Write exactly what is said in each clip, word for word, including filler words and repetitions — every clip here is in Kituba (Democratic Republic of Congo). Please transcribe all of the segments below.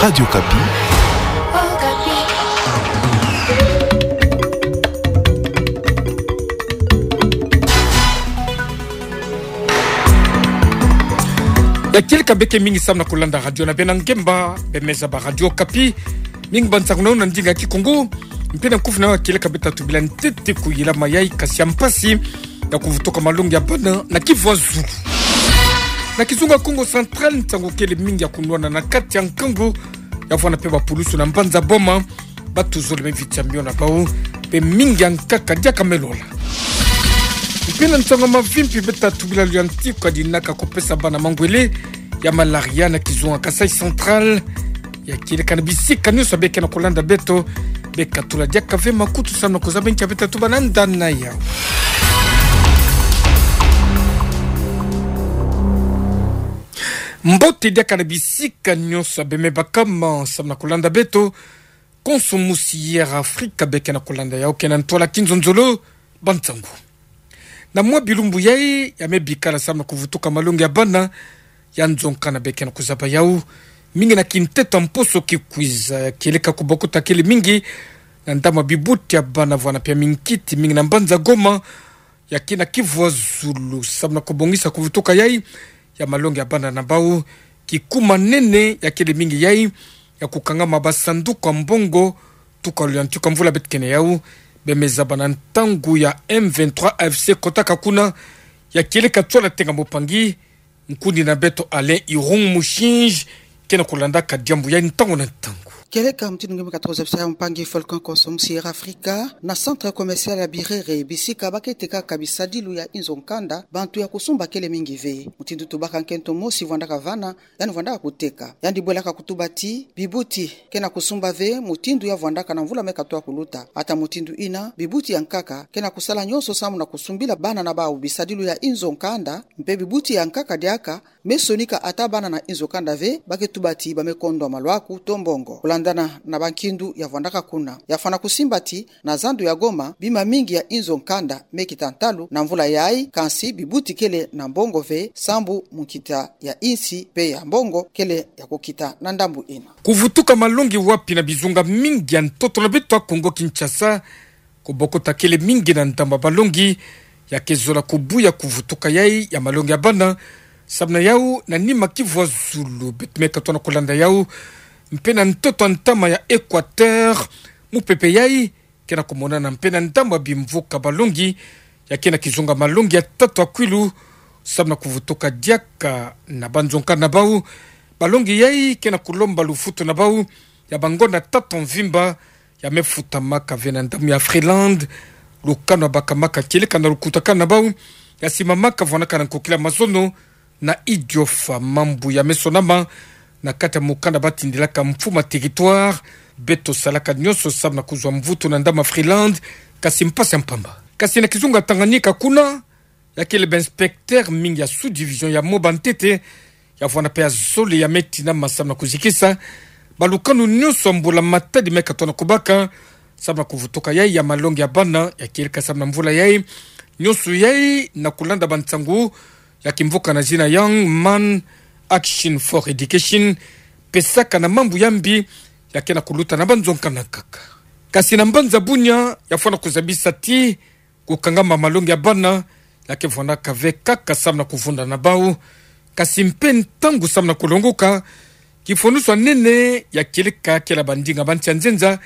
Radio Okapi. Ya kieleka beke mingi samu na kulanda radio na bena ngemba, bemeza ba Radio Okapi. Mingi ba nsangu na ndinga ya Kikongo. Mpe na nkufi na yo ya kieleka beta tubila ntete kuyilama yayi, kasi ya mpasi ya kuvutuka malongi ya bana na kivwa zulu. Na kizunga Kongo Central, nsangu kele mingi ya kunwana na kati ya nkangu, ya vwanda mpe bapulusu na mbanza Boma, batuzole meviti ya mio na bau, mpe mingi ya nkaka diaka melola. Mpe na nsangu ya mavimpi beta tubila luyantika dinaka kupesa bana mangwele ya malaria na kizunga Kasaï Central. Ya kieleka na bisika nyonso beke na kulanda beto, beka tula diaka ve makutu samu na kuzaba nkia beta tuba na ndani na yau. Mbote diaka na bisika nyonso beme bakama samu na kulanda beto. Konso musi Air Africa beke na kulanda yau, ke na ntwala kinzonzolo, ba nsangu. Na mwa bilumbu yayi ya me bikala samu na kuvutuka malongi ya bana ya nzo nkanda beke na kuzaba yau. Mingi na kinteto ya mposo kikwiza, ya kieleka kubokota kele mingi na ndambu ya bibuti ya bana vwanda mpe ya minkiti mingi na mbanza Goma, ya ke na kivwa zulu samu na kubongisa kuvutuka yayi ya malongi ya bana na bau. Kikuma nene ya kele mingi yayi ya kukangama basanduku ya mbongo, tuka luyantika mvula beto ke na yau, bemeza ba na ntangu ya M vingt-trois A F C kotaka kuna. Ya kieleka tsola tenga mopangi, nkundi na beto Alain Irung Mushinji ke na kulandaka diambu yayi ntangu na ntangu. Kieleka mutindu nge me katoza biso yau, mpangi Falcon Konso musi Air Africa, na centre commercial ya Birere, bisika ba ke tekaka bisadilu ya inzo nkanda, bantu ya kusumba kele mingi ve. Mutindu tubaka nkento mosi vwandaka vana, yandi vwandaka kuteka. Yandi bwelaka kutuba ti bibuti ke na kusumba ve mutindu ya vwandaka na mvula me katoa kuluta. Ata mutindu yina, bibuti ya nkaka ke na kusala nyonso samu na kusumbila bana na bau bisadilu ya inzo nkanda, mpe bibuti ya nkaka diaka me sonika ata bana na inzo nkanda ve, ba ke tuba ti ba me kondwa malwaku to mbongo. Kulandana na bankindu ya vwandaka kuna, ya fwana kusimba ti na zandu ya Goma, bima mingi ya inzo nkanda me kita ntalu na mvula yayi, kansi bibuti kele na mbongo ve, sambu munkita ya insi mpe ya mbongo kele ya kukita na ndambu yina. Kuvutuka malongi wapi? Na bizunga mingi ya ntoto na beto ya Kongo Kinshasa, kubokota kele mingi na ndambu ya balongi, ya ke zola kubuya kuvutuka yayi ya malongi ya bana. Samu na yau, na nima kivwa zulu beto me katoa na kulanda yau, mpe na ntoto ya ntama ya Equateur, mupepe yayi ke na kumonana mpe na ndambu ya bimvuka balongi, ya ke na kizunga malongi ya tatu ya kwilu, samu na kuvutuka diaka na banzo nkanda na bau. Balongi yayi ke na kulomba lufutu na bau ya bangonda tatu ya mvimba, ya me futamaka ve na ndambu ya Freeland. Lukanu ya bakamaka kieleka na lukutakanu na bau, ya simamaka vwanaka na nkokila mazono na Idiofa. Mambu ya me sonama na kati ya mukanda ba tindilaka Mfuma Territoire. Beto salaka nyonso samu na kuzwa mvutu na ndambu ya Freeland, kasi mpasi ya mpamba. Kasi na kizunga Tanganyika kuna, ya kele ba inspecteur mingi ya sous-division ya Moba Ntete, ya vwanda mpe ya zole ya me tinama samu na kuzikisa balukanu nyonso ya mbula-matadi me katoa na kubaka samu na kuvutuka yayi ya malongi ya bana, ya kieleka samu na mvula yayi. Nyonso yayi na kulanda bansangu ya kimvuka na zina Young Man Action for Education, pesaka na mambu ya mbi ya ke na kuluta na banzo nkanda nkaka. Kasi na mbanza Bunia, ya fwana kuzabisa ti kukangama malongi ya bana, ya ke vwandaka ve kaka samu na kuvunda na bau, kasi mpe ntangu samu na kulongoka. Kifwanusu ya nene ya kieleka kele ya bandinga ba nsi ya nzenza,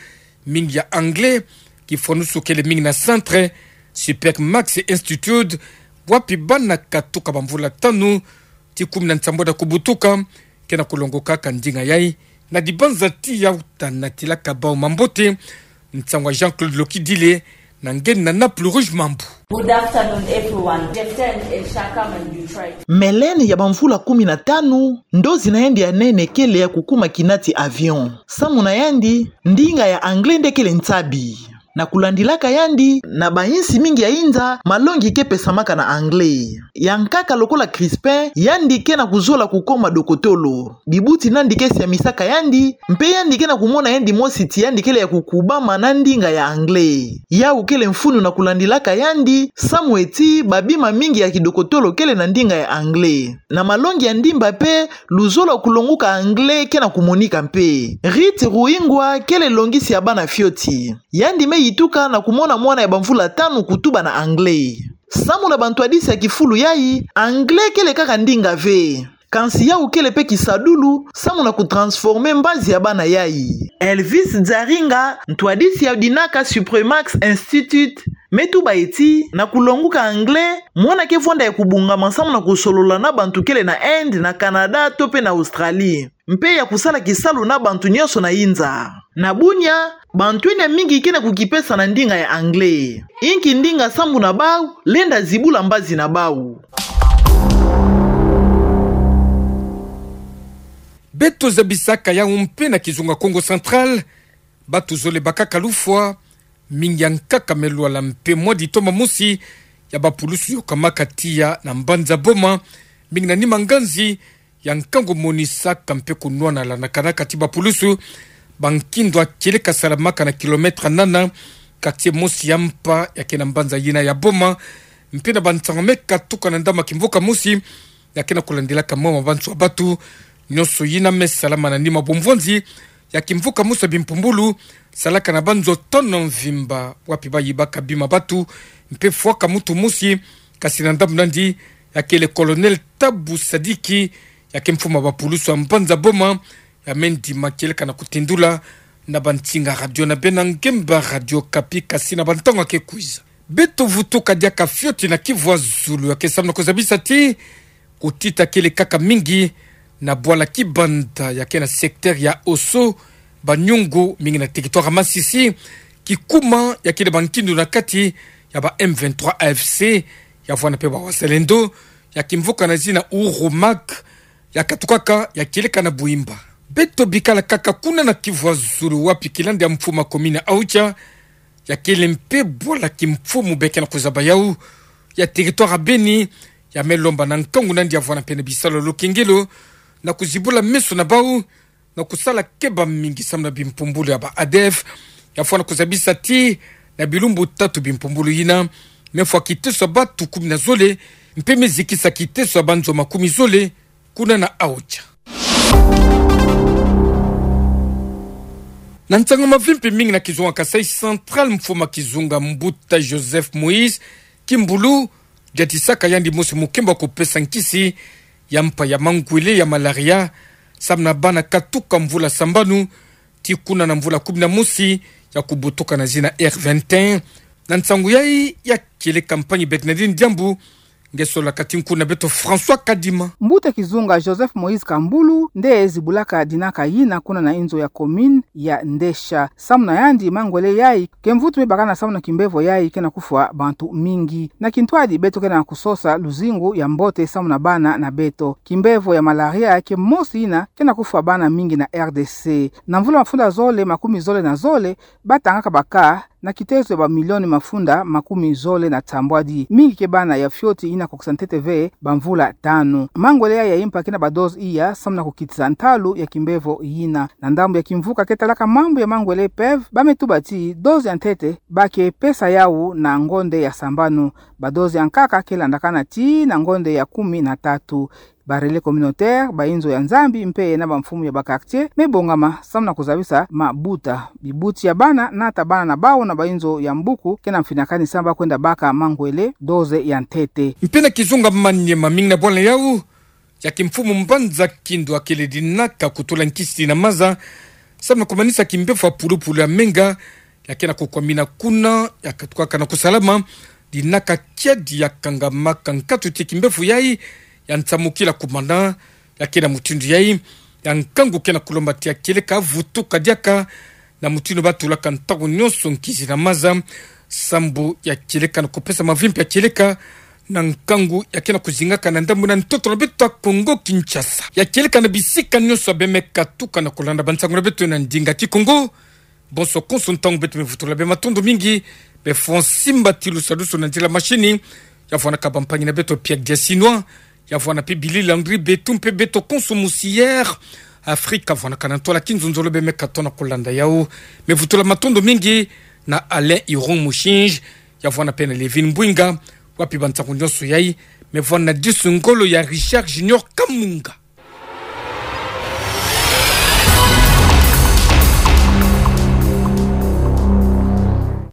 mingi ya anglais. Kifwanusu kele mingi na Centre Super Max Institute, wapi bana katuka bamvula tanu tii kumi na nsambwadi ya kubutuka, ke na kulongokaka ndinga yayi. Na dibanza ti yauta, natilaka bau mambote. Nsangu ya Jean-Claude Lokidile, na nge na Naples Rouge Mambu. Good afternoon, everyone. Jeften El Shakam in Detroit. Mélène ya bamvula kumi na tanu, ndozi na yandi ya nene kele ya kukuma kinati avion. Samu na yandi, ndinga ya anglais nde kele nsabi. Na kulandilaka yandi, na bainsi mingi ya inza, malongi ke pesamaka na anglais. Ya nkaka lokola Crispin, yandi ke na kuzola kukoma dokotolo. Bibuti nandi ke siamisaka yandi, mpe yandi ke na kumona yandi mosi ti yandi kele ya kukubama na ndinga ya anglais. Yau kele mfunu na kulandilaka yandi, samu eti babima mingi ya kidokotolo kele na ndinga ya anglais. Na malongi ya ndimba mpe, luzolo kulonguka anglais ke na kumonika mpe. Ruth Ruhingwa kele longisi ya bana fioti. Yandi me yituka na kumona mwana ya bamvula tanu kutuba na anglais. Samu na bantwadisi ya kifulu yai, anglais kele kaka ndinga ve. Kansi yau kele mpe kisadulu, samu na kutransformer mbazi ya bana yai. Elvis Dzaringa, ntwadisi ya dinaka Supremax Institute, me tuba eti, na kulonguka anglais, mwana ke vwanda ya kubongama samu na kusolola na bantu kele na Inde, na Canada, to mpe na Australie. Mpe ya kusala kisalu na bantu nyonso na inza. Na bunya, bantu ina mingi ke na kukipesa na ndinga ya anglais. Inki ndinga sambu na bau, lenda zibula mbazi na bau. Beto zabisaka yau mpe na kizunga Kongo Central, batu zole bakaka lufwa, mingi ya nkaka me lwala mpe mwa ditoma mosi ya bapulusu yokamaka tiya na mbanza Boma, mingi na nima nganzi, ya nkangu monisaka mpe kunwanala na kanaka ti bapulusu, ba nkindo ya kieleka salamaka na kilomètre nana, quartier mosi ya mpa ya ke na mbanza yina ya Boma, mpe na bansango me katuka na ndambu ya kimvuka mosi, ya ke na kulandilaka mawa ma bansoni ya batu, nyonso yina me salama na nima bomvwanzi ya kimvuka mosi ya bimpumbulu, salaka na banzo tano mvimba, wapi bayibaka bima batu, mpe fwaka mutu mosi, kasi na ndambu nandi, ya kele Colonel Tabu Sadiki, ya ke mfumu ya bapulusu ya mbanza Boma, ya me ndima kieleka na kutendula na bansinga radio na bena ngemba Radio Okapi, kasi na bantango ya ke kwiza. Beto vutuka diaka fioti na Kivu ya zulu, ya ke samu na kuzabisa ti kutita kele kaka mingi na bwala Kibanda ya ke na secteur ya Oso, Banyungu, mingi na territoire ya Masisi, kikuma ya kele ba nkindo na kati ya ba M vingt-trois A F C, ya vwanda mpe ba Wazalendo, ya kimvuka na zina Uhuru Mark, ya katukaka, ya kieleka na Buimba. Beto bikala kaka kuna na Kivu ya zulu, wapi kilandi ya mfumu ya commune ya Aocha, ya kele mpe bwala kimfumu be ke na kuzaba yau, ya territoire ya Beni, ya me lomba na nkangu nandi ya vwanda mpe na bisalu ya lukengelo, na kuzibula meso na bau, na kusala keba mingi samu na bimpumbulu ya ba A D F, ya vwanda kuzabisa ti na bilumbu tatu bimpumbulu yina me fwa kiteso ya batu kumi na zole, mpe me zikisa kiteso ya banzo makumi zole, kuna na Aocha. Na nsangu mavimpi mingi na kizunga Kasaï Central, mfumu ya kizunga Mbuta Joseph Moïse Kimbulu, diatisaka yandi mosi mukembo ya kupesa nkisi ya mpa ya mangwele ya malaria, samu na bana katuka mvula sambanu, tii kuna na mvula kumi na mosi, ya kubutuka na zina R vingt et un. Na nsangu yai ya kele campagne Bernardine Diambu, nge solaka ti nkunga beto François Kadima. Mbuta kizunga Joseph Moïse Kimbulu nde zibulaka dinaka yina kuna na inzo ya commune ya Ndesha. Samu na yandi mangwele yai ke mvutu me bakana samu na kimbevo yai ke na kufwa bantu mingi. Na kintwadi beto ke na kusosa luzingu ya mbote samu na bana na beto. Kimbevo ya malaria ke mosi yina ke na kufwa bana mingi na R D C. Na mvula mafunda zole makumi zole na zole, batangaka ba cas na kiteso ya ba milioni mafunda makumi zole na nsambwadi. Mingi ke bana ya fioti yina kokisa ntete ve bamvula tanu. Mangwele yai ya impa ke na ba dose iya samu na kukitisa ntalu ya kimbevo yina. Na ndambu ya kimvuka ke talaka mambu ya mangwele P E V, ba me tuba ti dose ya ntete ba ke pesa yau na ngonde ya sambanu. Ba dose ya nkaka ke landakana tii na ngonde ya kumi na tatu. Ba relais communautaire, ba inzo ya Nzambi mpe na bamfumu ya ba quartier me bongama samu na kuzabisa mabuta. Bibuti ya bana, nata bana na bau na ba inzo ya mbuku, ke na mfinakani samu ba kwenda baka mangwele dose ya ntete. Mpe na kizunga Maniema, mingi na bwala yau ya kimfumu mbanza Kindu ya kele dinaka kutula nkisi na maza samu na kumanisa kimbevo ya pulupulu ya menga, ya ke na kukwamina kuna, ya katukaka na kusalama, dinaka kiadi ya kangamaka nkatu ti kimbevo yai ya nsamukila kumana. Ya ke na mutindu yai, ya nkangu ke na kulomba ti ya kieleka vutuka diaka na mutindu ba tulaka ntangu nyonso nkisi na maza, sambu ya kieleka na kupesa mavimpi ya kieleka na nkangu ya ke na kuzingaka na ndambu na ntoto na beto ya Kongo Kinshasa. Ya kieleka na bisika nyonso beno me katuka na kulanda bansangu na beto na ndinga Kikongo, Bonso konso ntangu beto mevutula bematondo mingi, befon simba tilu sadusu na nzila mashini, ya vwanda ka bampangi na beto Pierre Diasinois, ya vwanda pe Billy Landry, beto mpe beto konso musi Air Afrique, ya vwanda ka na ntwala kinzonzolo bemeka tona kolanda yau. Mevutula matondo mingi na Alain Iron Mushinji, ya vwanda pe na Levin Mbwinga, wapi bansangu nyonso yai, mevwanda disu ngolo ya Richard Junior Kamunga.